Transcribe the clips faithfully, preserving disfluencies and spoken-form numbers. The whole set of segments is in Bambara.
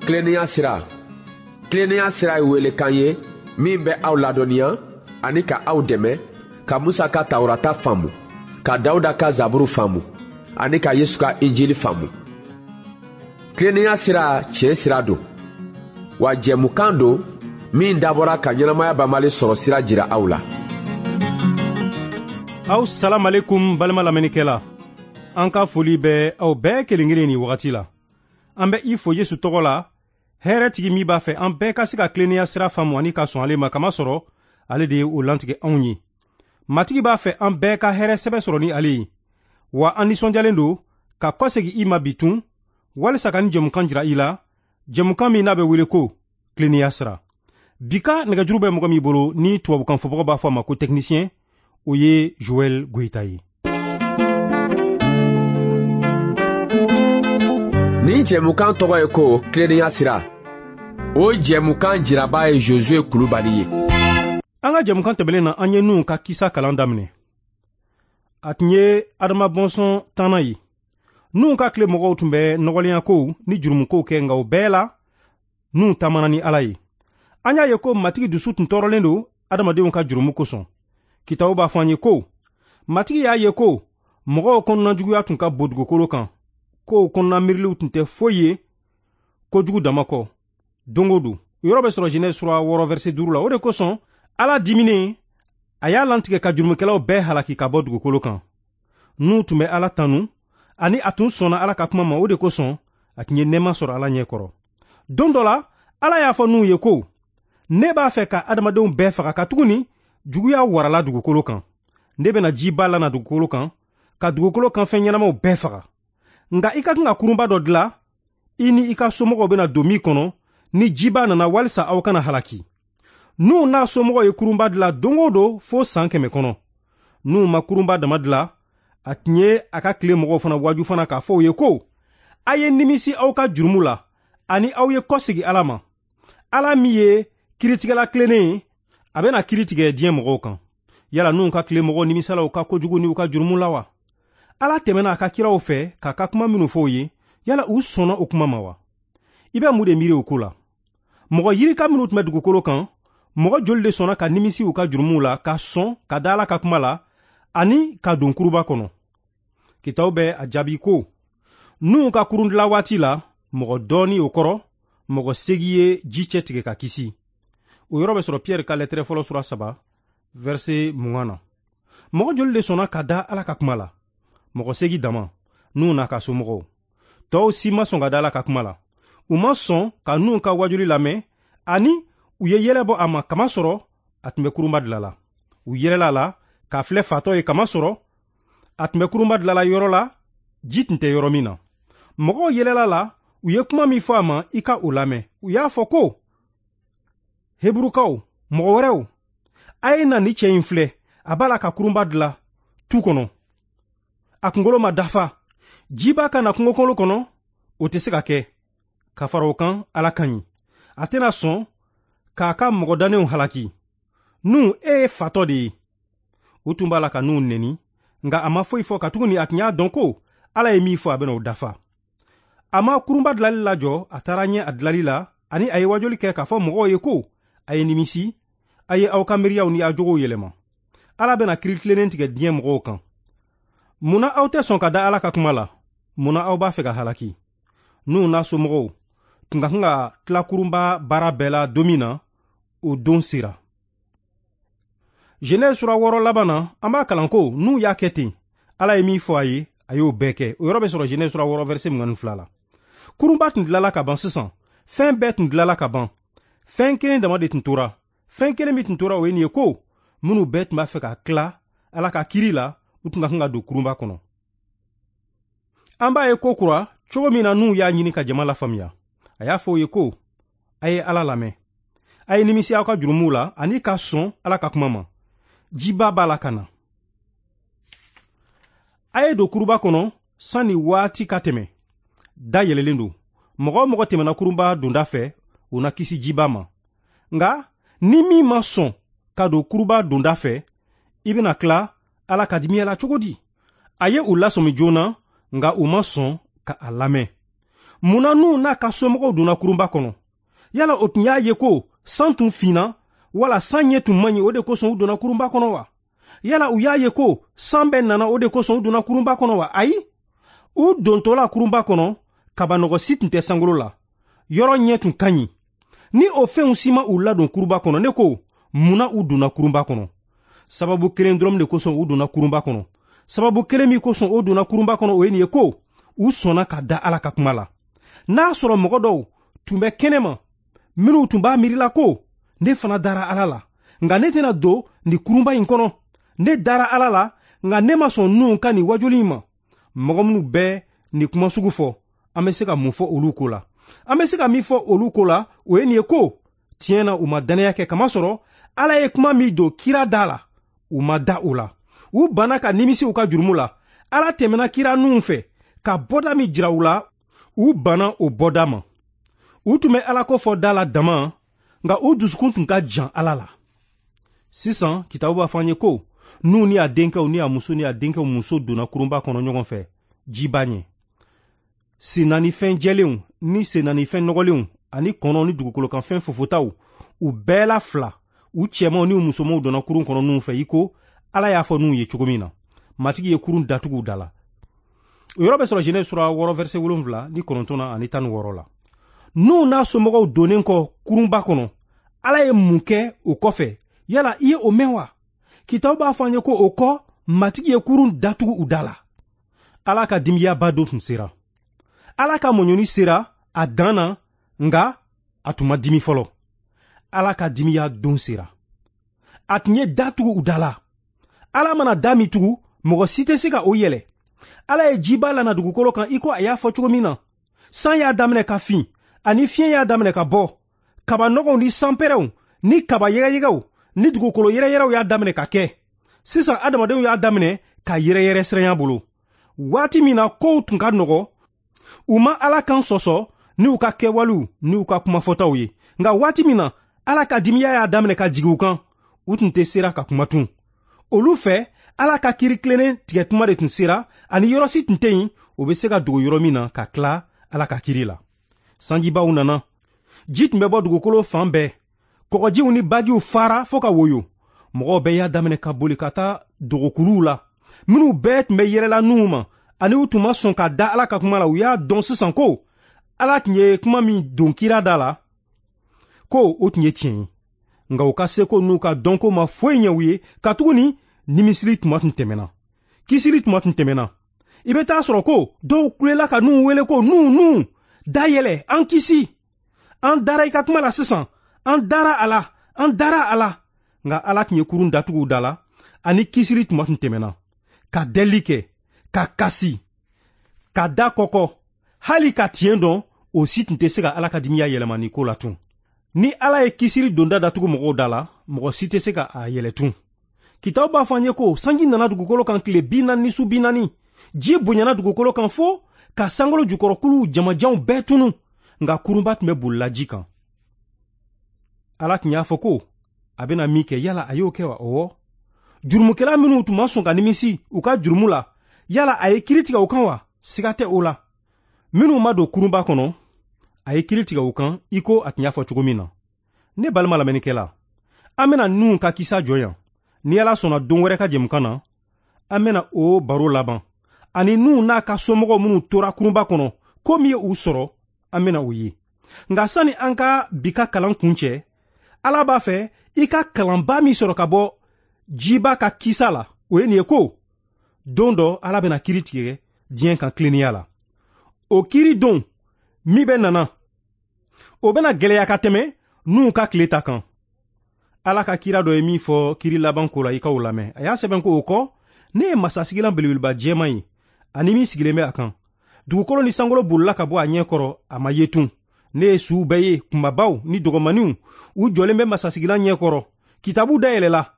Tilennenya sira. Tilennenya sira ye welekan ye min bɛ aw ladɔnniya ani ka aw dɛmɛ ka Musa ka Tawurata faamu, ka Dawuda ka Zaburu faamu ani ka Yesu ka Injili faamu. Tilennenya sira tiɲɛ sira don, wa jɛmukan don min dabɔra ka ɲɛnamaya banbali sɔrɔ sira jira aw la. Aw salam alaikum balima lamɛnnikɛla. An ka foli bɛ aw bɛɛ kelen kelen ni wagati la. An bɛ i fo Yesu tɔgɔ la, hɛrɛ tigi min b'a fɛ an bɛɛ ka se ka tilennenya sira faamu ani ka sɔn ale ma, kamasɔrɔ ale de ye o lantigɛ anw ye. Matigi b'a fɛ an bɛɛ ka hɛrɛ sɛbɛ sɔrɔ ni ale ye. Wa an nisɔndiyalen don ka kɔsegin i ma bi tun, walisa ka ni jɛmukan jira i la, jɛmukan min n'a bɛ wele ko tilennenya sira. Bi ka nɛgɛjuru bɛ mɔgɔ min bolo ni tubabukan fɔbagaw b'a fɔ a ma ko technicien, o ye Joël Goïta ye. Nin jɛmukan tɔgɔ ye ko tilennenya sira. O jɛmukan jiraba ye Josué Kulubali ye. An ka jɛmukan tɛmɛnen na, an ye Nuhu ka kisa kalan daminɛ. A tun ye Adama bɔnsɔn tannan ye. Nuhu ka tile mɔgɔw tun bɛ nɔgɔlenyakow ni jurumukow kɛ, nka o bɛɛ la Nuhu taamana ni Ala ye. An y'a ye ko Matigi dusu tun tɔɔrɔlen don adamadenw ka jurumu kosɔn. Kitabu b'a fɔ an ye ko Matigi y'a ye ko mɔgɔw kɔnɔnajuguya tun ka bon dugukolo kan, kow kɔnɔna miiriliw tun tɛ foyi ye kojugu dama kɔ don o don. O yɔrɔ bɛ sɔrɔ Genèse sura wɔɔrɔ verset duuru la. O de kosɔn Ala diminen, a y'a lantigɛ ka jurumukɛlaw bɛɛ halaki ka bɔ dugukolo kan. Nuhu tun bɛ Ala tanu ani a tun sɔnna Ala ka kuma ma, o de kosɔn a tun ye nɛɛma sɔrɔ Ala ɲɛ kɔrɔ. Don dɔ la, Ala y'a fɔ Nuhu ye ko ne b'a fɛ ka adamadenw bɛɛ faga, katuguni juguya warala dugukolo kan. Ne bɛna jiba lana dugukolo kan ka dugukolo kan fɛn ɲɛnamaw bɛɛ faga. Nka i ka kan ka kurunba dɔ dilan, i ni i ka somɔgɔw bɛna don min kɔnɔ ni jiba nana, walisa aw kana halaki. Nuhu n'a somɔgɔw ye kurunba dilan don o don fo san kɛmɛ kɔnɔ. Nuhu ma kurunba dama dilan, a tun ye a ka tile mɔgɔw fana waju fana k'a fɔ u ye ko a ye nimisi aw ka jurumu la ani aw ye kɔsegin Ala ma. Ala min ye kiritigɛla tilennen ye, a bɛna kiri tigɛ diɲɛ mɔgɔw kan. Yala Nuhu ka tile mɔgɔw nimisala u ka kojugu ni u ka jurumu la wa? Ala tɛmɛna a ka kiraw fɛ k'a ka kuma minnu fɔ u ye, yala u sɔnna o kuma ma wa? I bɛ mun de miiri o ko la? Mɔgɔ yirika minnu tun bɛ dugukolo kan, mɔgɔ joli de sɔnna ka nimisi u ka jurumuw la, ka sɔn ka da Ala ka kuma la ani ka don kuruba kɔnɔ? Kitabu bɛ a jaabi ko Nuhu ka kurun dilan waati la, mɔgɔ dɔɔni, o kɔrɔ mɔgɔ segi ye ji cɛ tigɛ ka kisi. O yɔrɔ bɛ sɔrɔ Pierre ka lɛtɛrɛ fɔlɔ sura saba verset mugan na. Mɔgɔ joli de sɔnna ka da Ala ka kuma la? Mɔgɔ segi dama, Nuhu n'a ka somɔgɔw. Tɔw si ma sɔn ka da Ala ka kuma la. U ma sɔn ka Nuhu ka wajuli lamɛn ani u ye yɛlɛ bɔ a ma, kamasɔrɔ a tun bɛ kurunba dilan la. U yɛlɛla a la k'a filɛ fatɔ ye, kamasɔrɔ a tun bɛ kurunba dilan la yɔrɔ la ji tun tɛ yɔrɔ min na. Mɔgɔw yɛlɛla la, u ye kuma min fɔ a ma, i ka o lamɛn. U y'a fɔ ko Heburukaw, mɔgɔ wɛrɛw, a ye na ni cɛ in filɛ, a b'a la ka kurunba dilan tu kɔnɔ. A kunkolo ma dafa. Jiba ka na kungokolo kɔnɔ, o tɛ se ka kɛ. Ka fara o kan, Ala ka ɲi. A tɛna sɔn k'a ka mɔgɔ dannenw halaki. Nuhu, e ye fatɔ de ye. U tun b'a la ka Nuhu neni, nka a ma foyi fɔ, katuguni a tun y'a dɔn ko Ala ye min fɔ, a bɛna o dafa. A ma kurunba dilali lajɔ, a taara ɲɛ a dilali la, ani a ye wajuli kɛ k'a fɔ mɔgɔw ye ko a ye nimisi, a ye aw ka miiriyaw ni aw jogow yɛlɛma. Ala bɛna kiri tilennen tigɛ diɲɛ mɔgɔw kan. Munna aw tɛ sɔn ka da Ala ka kuma la? Munna aw b'a fɛ ka halaki? Nuhu n'a somɔgɔw tun ka kan ka tila kurunba baara bɛɛ la don min na, o don sera. Genèse sura wɔɔrɔ laban na, an b'a kalan ko Nuhu y'a kɛ ten. Ala ye min fɔ a ye, a y'o bɛɛ kɛ. O yɔrɔ bɛ sɔrɔ Genèse sura wɔɔrɔ verset mugan ni fila la. Kurunba tun dilala ka ban sisan. Fɛn bɛɛ tun dilala ka ban. Fɛn kelen dama de tun tora. Fɛn kelen min tun tora, o ye nin ye ko minnu bɛɛ tun b'a fɛ ka tila Ala ka kiri la, u tun ka kan ka don kurunba kɔnɔ. An b'a ye ko kura cogo min na Nuhu y'a ɲini ka jama lafaamuya. A y'a fɔ u ye ko a ye Ala lamɛn, a ye nimisi aw ka jurumuw la ani ka sɔn Ala ka kuma ma. Jiba b'a la ka na. A ye don kuruba kɔnɔ sanni waati ka tɛmɛ. Da yɛlɛlen don. Mɔgɔ o mɔgɔ tɛmɛna kurunba donda fɛ, o na kisi jiba ma. Nka ni min ma sɔn ka don kuruba donda fɛ, i bɛna tila Ala ka dimiya la cogo di? A ye u lasɔmi joona, nka u ma sɔn ka a lamɛn. Mun na Nuhu n'a ka somɔgɔw donna kurunba kɔnɔ? Yala o tun y'a ye ko san tun finna wala san ɲɛ tun man ɲi, o de kosɔn u donna kurunba kɔnɔ wa? Yala u y'a ye ko san bɛɛ nana, o de kosɔn u donna kurunba kɔnɔ wa? Ayi, u dontɔla kurunba kɔnɔ, kabanɔgɔ si tun tɛ sankolo la, yɔrɔ ɲɛ tun ka ɲi. Ni o fɛnw si ma u ladon kurunba kɔnɔ, ne ko mun na u donna kurunba kɔnɔ? Sababu kelen dɔrɔn de kosɔn u donna kurunba kɔnɔ. Sababu kelen min kosɔn o donna kurunba kɔnɔ, o ye nin ye ko u sɔnna ka da Ala ka kuma la. N'a sɔrɔ mɔgɔ dɔw tun bɛ kɛnɛma minnu tun b'a miirila ko ne fana dara Ala la, nka ne tɛna don nin kurunba in kɔnɔ. Ne dara Ala la, nka ne ma sɔn Nuhu ka nin wajuli in ma. Mɔgɔ minnu bɛ nin kuma sugu fɔ, an bɛ se ka mun fɔ olu ko la? An bɛ se ka min fɔ olu ko la, o ye nin ye ko tiɲɛ na u ma dannaya kɛ, kamasɔrɔ Ala ye kuma min don kira da la, u ma da o la. U banna ka nimisi u ka jurumu la. Ala tɛmɛna kira Nuhu fɛ ka bɔda min jira u la, u banna o bɔda ma. U tun bɛ Ala ko fɔ da la dama, nka u dusukun tun ka jan Ala la. Sisan kitabu b'a fɔ an ye ko Nuhu ni a denkɛw ni a muso ni a denkɛw muso donna kurunba kɔnɔ ɲɔgɔn fɛ jiba ɲɛ. Sennanifɛn jɛlenw ni sennanifɛn nɔgɔlenw ani kɔnɔw ni dugukolokanfɛn fofotaw, u bɛɛ la fila, u cɛmanw ni u musomanw donna kurun kɔnɔ Nuhu fɛ, i ko Ala y'a fɔ Nuhu ye cogo min na. Matigi ye kurun datugu u da la. O yɔrɔ bɛ sɔrɔ Genèse sura wɔɔrɔ verset wolonwula ni kɔnɔntɔn na ani tan ni wɔɔrɔ la. Nuhu n'a somɔgɔw donnen kɔ kurunba kɔnɔ, Ala ye mun kɛ o kɔfɛ? Yala i ye o mɛn wa? Kitabu b'a fɔ an ye ko o kɔ, Matigi ye kurun datugu u da la. Ala ka dimiyaba don tun sera. Ala ka mɔɲɔni sera a dan na, nka a tun ma dimi fɔlɔ. Ala ka dimiya don sera. A tun ye da tugu u da la. Ala mana da min tugu, mɔgɔ si tɛ se ka o yɛlɛ. Ala ye jiba lana dugukolo kan i ko a y'a fɔ cogo min na. San y'a daminɛ ka fin, ani fiɲɛ y'a daminɛ ka bɔ. Kabanɔgɔw ni sanpɛrɛnw ni kaba yɛgɛyɛgɛw ni dugukolo yɛrɛyɛrɛw y'a daminɛ ka kɛ. Sisan adamadenw y'a daminɛ ka yɛrɛyɛrɛ siranya bolo. Waati min na kow tun ka nɔgɔ, u ma Ala kan sɔsɔ ni u ka kɛwalew ni u ka kumafɔtaw ye. Nka waati min na Ala ka dimiya y'a daminɛ ka jigin u kan, u tun tɛ sera ka kuma tun. Olu fɛ, Ala ka kiiri tilennen tigɛ tuma de tun sera, ani yɔrɔ si tun tɛ yen o bɛ se ka dogo yɔrɔ min na ka tila Ala ka kiiri la. Sanjibaw nana, ji tun bɛ bɔ dugukolo fan bɛɛ, kɔgɔjiw ni bajiw fara fo ka woyo. Mɔgɔw bɛɛ y'a daminɛ ka boli ka taa dogokuluw la. Minnu bɛɛ tun bɛ yɛlɛla Nuhu ma, ani u tun ma sɔn ka da Ala ka kuma la, u y'a dɔn sisan ko Ala tun ye kuma min don kira da la, ko o tun ye tiɲɛ ye. Nka u ka seko n'u ka dɔnko ma foyi ɲɛ u ye, katuguni nimisili tuma tun tɛmɛna, kisili tuma tun tɛmɛna. I bɛ taa sɔrɔ ko dɔw kulela ka Nuhu wele ko Nuhu, Nuhu, da yɛlɛ, an kisi. An dara i ka kuma la sisan, an dara a la, an dara a la. Nka Ala tun ye kurun datugu u da la, ani kisili tuma tun tɛmɛna. Ka deli kɛ, ka kasi, ka da kɔkɔ, hali ka tiɲɛ dɔn, o si tun tɛ se ka Ala ka dimiya yɛlɛma nin ko la tun. Ni Ala ye kisili donda datugu mɔgɔw da la, mɔgɔ si tɛ se ka a yɛlɛ tun. Kitabu b'a fɔ an ye ko sanji nana dugukolo kan tile bi naani ni su bi naani. Ji bonyana dugukolo kan fo ka sankolo jukɔrɔkuluw jamajanw bɛɛ tunu, nka kurunba tun bɛ bolila ji kan. Ala tun y'a fɔ ko a bɛna min kɛ, yala a y'o kɛ wa? Ɔwɔ. Jurumukɛla minnu tun ma sɔn ka nimisi u ka jurumu la, yala a ye kiiri tigɛ u kan wa? Siga tɛ o la. Minnu ma don kurunba kɔnɔ, a ye kiiri tigɛ u kan i ko a tun y'a fɔ cogo min na. Ne balima lamɛnnikɛla, an bɛna Nuhu ka kisa jɔ yan. Ni Ala sɔnna don wɛrɛ ka jɛmukan na, an bɛna o baro laban. Ani Nuhu n'a ka somɔgɔw minnu tora kurunba kɔnɔ, ko min ye u sɔrɔ, an bɛna o ye. Nka sani an ka bi ka kalan kuncɛ, Ala b'a fɛ i ka kalanba min sɔrɔ ka bɔ jiba ka kisa la, o ye nin ye ko don dɔ Ala bɛna kiiri tigɛ diɲɛ kan tilennenya la. O kiiri don min bɛ nana, o bɛna gɛlɛya ka tɛmɛ Nuhu ka tile ta kan. Ala ka kira dɔ ye min fɔ kiiri laban ko la, i k'o lamɛn. A y'a sɛbɛn ko o kɔ, ne ye masasigilan belebeleba jɛman ye, ani min sigilen bɛ a kan. Dugukolo ni sankolo bolila ka bɔ a ɲɛ kɔrɔ, a ma ye tun. Ne ye suw bɛɛ ye, kunbabaw ni dɔgɔmaninw, u jɔlen bɛ masasigilan ɲɛ kɔrɔ. Kitabu dayɛlɛla,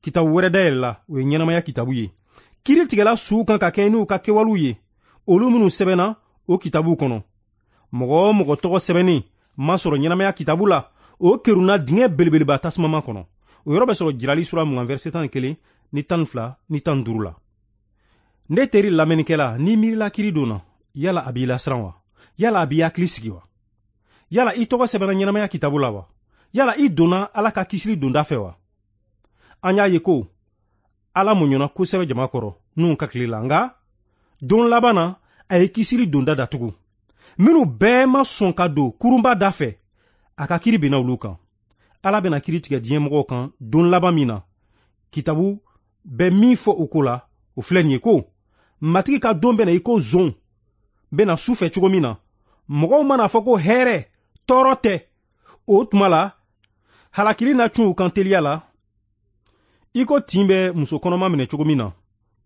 kitabu wɛrɛ dayɛlɛla, o ye ɲɛnamaya kitabu ye. Kiiri tigɛla suw kan ka kɛ n'u ka kɛwalew ye, olu minnu sɛbɛnna o kitabu kɔnɔ. Mɔgɔ o mɔgɔ tɔgɔ sɛbɛnnen ma sɔrɔ ɲɛnamaya kitabu la, o kerunna dingɛ belebeleba tasumama kɔnɔ. O yɔrɔ bɛ sɔrɔ Jirali sura mugan verset tan ni kelen ni tan ni fila ni tan ni duuru la. Ne teri lamɛnnikɛla, n'i miirila kiiri don na, yala a b'i lasiran wa? Yala a b'i hakili sigi wa? Yala i tɔgɔ sɛbɛnna ɲɛnamaya kitabu la wa? Yala i donna Ala ka kisili donda fɛ wa? An y'a ye ko Ala muɲuna kosɛbɛ jama kɔrɔ Nuhu ka tile la, nka don laban na a ye kisili donda datugu. Minnu bɛɛ ma sɔn ka don kurunba da fɛ, a ka kiri binna olu kan. Ala bɛna kiri tigɛ diɲɛ mɔgɔw kan don laban min na, kitabu bɛ min fɔ o ko la, o filɛ nin ye ko Matigi ka don bɛna i ko zon bɛna su fɛ cogo min na, mɔgɔw mana fɔ ko hɛrɛ tɔɔrɔ tɛ, o tuma la halakili na cun u kan teliya la i ko tin bɛ muso kɔnɔma minɛ cogo min na,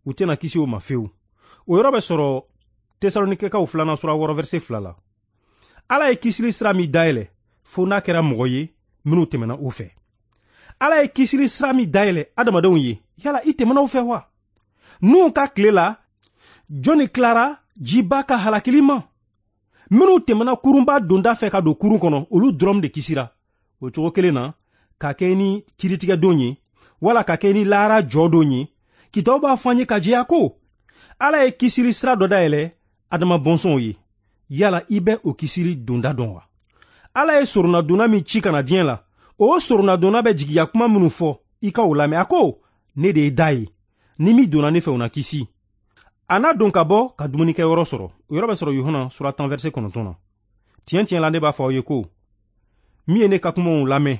u tɛna kisi o ma fewu. O yɔrɔ bɛ sɔrɔ Tesalonikɛkaw filanan sura wɔɔrɔ verset fila la. Ala ye kisili sira min dayɛlɛ, fo n'a kɛra mɔgɔ ye minnu tɛmɛna o fɛ. Ala ye kisili sira min dayɛlɛ adamadenw ye, yala i tɛmɛna o fɛ wa? Nuhu ka tile la, jɔnni tilara jiba ka halakili ma? Minnu tɛmɛna kurunba donda fɛ ka don kurun kɔnɔ, olu dɔrɔn de kisira. O cogo kelen na, ka kɛ ni kiritigɛdon ye, wala ka kɛ ni lahara jɔdon ye, kitabu b'a fɔ an ye ka jɛya ko Ala ye kisili sira dɔ dayɛlɛ adama bɔnsɔnw ye. Yala i bɛ o kisili donda dɔn wa? Ala ye soronadonna min ci ka na diɲɛ la, o soronadonna bɛ jigiya kuma minnu fɔ, i ka o lamɛn. A ko, ne de ye da ye, ni min donna ne fɛ o na kisi. A n'a don ka bɔ ka dumunikɛyɔrɔ sɔrɔ. O yɔrɔ bɛ sɔrɔ Yohana sura tan verset kɔnɔntɔn na. Tiɲɛ tiɲɛ la ne b'a fɔ aw ye ko min ye ne ka kumaw lamɛn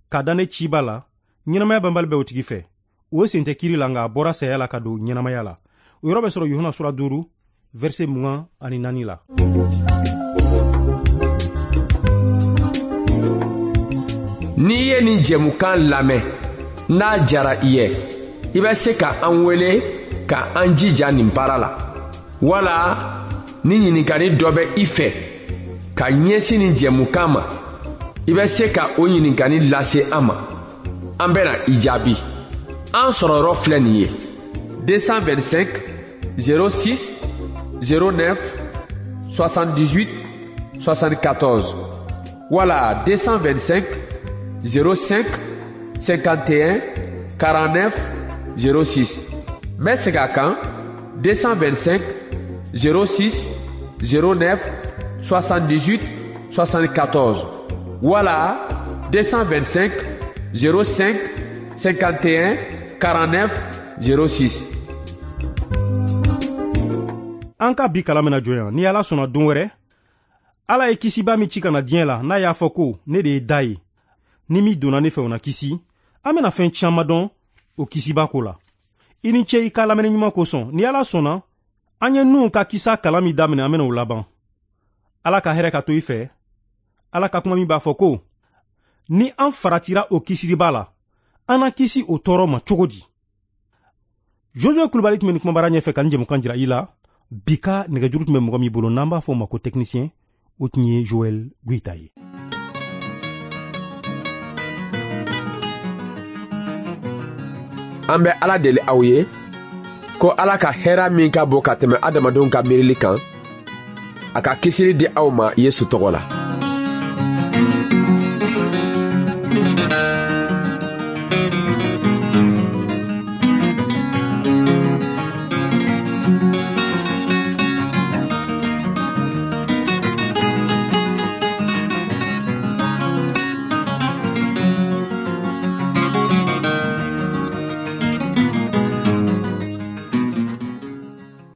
ka da ne ciba la, ɲɛnamaya banbali bɛ o tigi fɛ. O sen tɛ kiri la, nka a bɔra saya la ka don ɲɛnamaya la. O yɔrɔ bɛ sɔrɔ Yohana sura duuru verset mugan ani naani la. N'i ye nin jɛmukan lamɛn, n'a jara i ye, i bɛ se ka an wele ka an jija nin baara la. Wala ni ɲininkali dɔ bɛ i fɛ ka ɲɛsin nin jɛmukan ma, i bɛ se ka o ɲininkali lase an ma. An bɛna i jaabi. An sɔrɔyɔrɔ filɛ nin ye: deux cent vingt-cinq zéro six zéro neuf soixante-dix-huit soixante-quatorze wala deux cent vingt-cinq zéro cinq cinquante et un quarante-neuf zéro six. N bɛ segin a kan: deux cent vingt-cinq zéro six zéro neuf soixante-dix-huit soixante-quatorze wala deux cent vingt-cinq zéro cinq cinquante et un quarante-neuf zéro six. An ka bi kalan bɛna jɔ yan. Ni Ala sɔnna don wɛrɛ, Ala ye kisiba min ci ka na diɲɛ la, n'a y'a fɔ ko ne de ye da ye, ni min donna ne fɛ o na kisi, an bɛna fɛn caman dɔn o kisiba ko la. I ni ce i ka lamɛnni ɲuman kosɔn. Ni Ala sɔnna, an ye Nuhu ka kisa kalan min daminɛ, an bɛna o laban. Ala ka hɛrɛ ka to i fɛ. Ala ka kuma min b'a fɔ ko ni an faratira o kisiliba la, an na kisi o tɔɔrɔ ma cogo di? Josue Kulubali tun bɛ nin kumabara ɲɛfɛ ka nin jɛmukan jira i la. Bi ka nɛgɛjuru tun bɛ mɔgɔ min bolo, n'an b'a fɔ o ma ko technicien, o tun ye Joël Goïta ye. An bɛ Ala deli aw ye ko Ala ka hɛrɛ min ka bon ka tɛmɛ adamadenw ka miirili kan, a ka kisili di aw ma Yesu tɔgɔ la.